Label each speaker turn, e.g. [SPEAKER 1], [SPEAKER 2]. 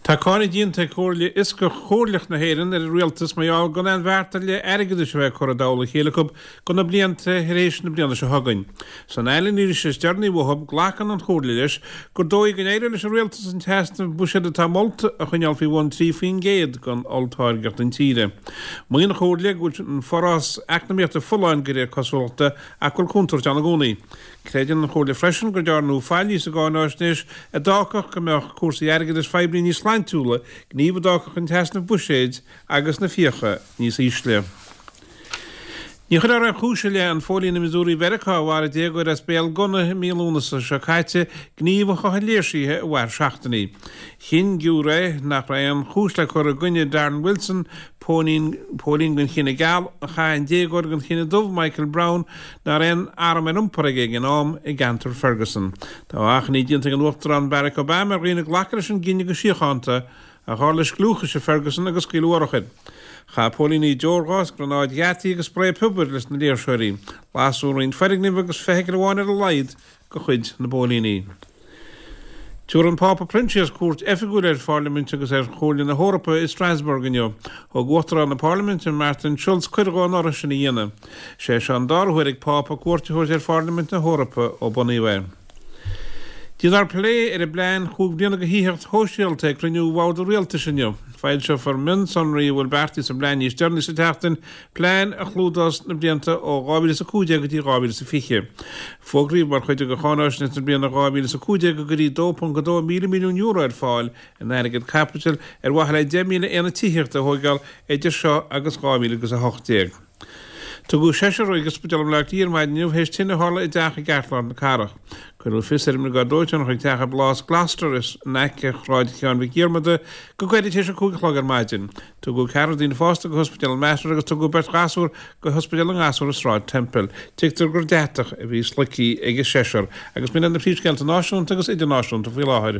[SPEAKER 1] Tá cáineadh déanta ag Comhairle Fhioscach Chomhairleach na hÉireann ar an Rialtas mar gheall gan aon bheart ar leith airgeadais a bheith curtha i dtoll a chéile acu do na blianta tar éis na bliana seo chugainn. San anailís is deireanaí uathu, glacann an Chomhairle leis gur dóigh go n-éireoidh leis an Rialtas an t-easnamh buiséid atá molta a choinneáil faoi bhun 3% den olltáirgeacht intíre. Maíonn an Chomhairle go bhfuil an forás eacnamaíochta folláin de réir cosúlachta ach go bhfuil contúirt ann i gcónaí. Creideann an Chomhairle freisin go ndearnadh faillí sa gcáináisnéis a d'fhágfadh go mbeadh cúrsaí airgeadais phoiblí níos sláintiúla, gníomh a d'fhágfadh an t-easnamh buiséid agus na fiacha níos ísle. Ní chuirfear aon chúis i leith an phóilín i Missouri Mheiriceá a mharaigh déagóir as béal gunna i mí Lúnasa seo caite, gníomh a chothaigh léirsithe a mhair seachtainí. Chinn giúiré nach raibh aon chúis le cur i gcoinne Darren Wilson, póilín den chine geal a chaith an déagóir den chine dubh, Michael Brown, nach raibh aon arm ar iompar aige ag an am, i gceantar Ferguson. Tá achainí déanta ag an Uachtarán Barack Obama ar dhaoine glacadh leis an gcinneadh go síochánta, ach tharla scliúchais i Ferguson agus scaoileadh urchair. Chaith póilíní deorghás, gránáid gheataí agus sprae piobair leis na léirseoirí. Lasadh roinnt foirgneamh agus feithicil amháin ar a laghad de chuid na bpóilíní. Tabharfaidh an Pápa Proinsias cuairt oifigiúil ar Phairlimint agus ar Chomhairle na hEorpa i Strasbourg inniu. Thug Uachtarán na Pairliminte, Martin Schulz, cuireadh dó an urra sin a dhéanamh. Is é seo an dara huair ag Pápa cuairt a thabhairt ar Phairlimint na hEorpa ó bunaíodh é. Déanfar plé ar an bplean chúig bliana do thithíocht shóisialta ag cruinniú Bhord an Rialtais inniu. Foilseofar mionsonraí a bhfuil beartaithe sa bplean níos deireanaí sa tseachtain, plean a chlúdós na blianta ó 2015 go dtí 2020. Fógraíodh mar chuid de cháináisnéis na bliana 2015 go gcuirfí €2.2 míle milliún ar fáil in airgead caipitil ar mhaithe le 10,000 aonad tithíochta a thóigeáil idir seo agus 2018. Tugadh seisear chuig Ospidéal i mBleá Cliath ar maidin inniu théis tine a tharla i dteach i gceartlár na cathrach. Cuireadh fios ar an mBriogáid Dóiteáin chuig teach i bPlás Gloucester in aice Shráid Sheáin Mhic Dhiarmada go gairid théis a 5 a chlog ar maidin. Tugadh ceathrar daoine fásta go hOspidéal an Mater agus tugadh beirt ghasúr go hOspidéal na nGasúr i Sráid Temple. Tuigtear gur deatach a bhí sloigthe ag an seisear agus b'in iad na príomhscéalta náisiúnta agus idirnáisiúnta faoi láthair.